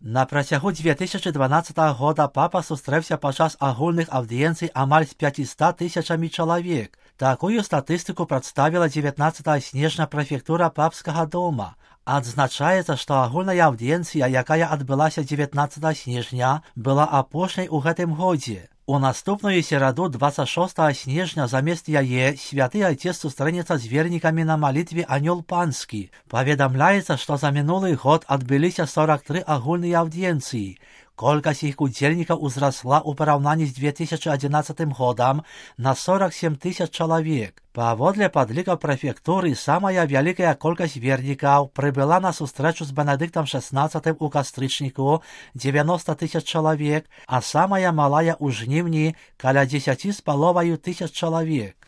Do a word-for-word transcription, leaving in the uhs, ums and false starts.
На працягу две тысячи дванаццатага года папа сустрэўся падчас агульных аўдыенцый амаль з пятьюстами тысячамі чалавек. Такую статыстыку прадставіла дзевятнаццатага снежня прэфектура папскага дома. Адзначаецца, што агульная аўдыенцыя, якая адбылася дзевятнаццатага снежня, была апошняй у гэтым годзе. У наступную сераду двадцать шостого снежня замест яе святы айцец сустрэнецца з вернікамі на малітве Анёл Панскі. Паведамляецца, што за мінулы год адбыліся сорок три агульныя аўдыенцыі. Колькасць іх удзельнікаў узрасла ў параўнанні з две тысячи одиннадцатым годам на сорок семь тысяч чалавек. Паводле падлікаў прэфектуры, самая вялікая колькасць вернікаў прыбыла на сустрэчу з Бенедыктам шестнадцатым у кастрычніку девяносто тысяч чалавек, а самая малая ў жніўні каля дзесяці з паловаю тысяч чалавек.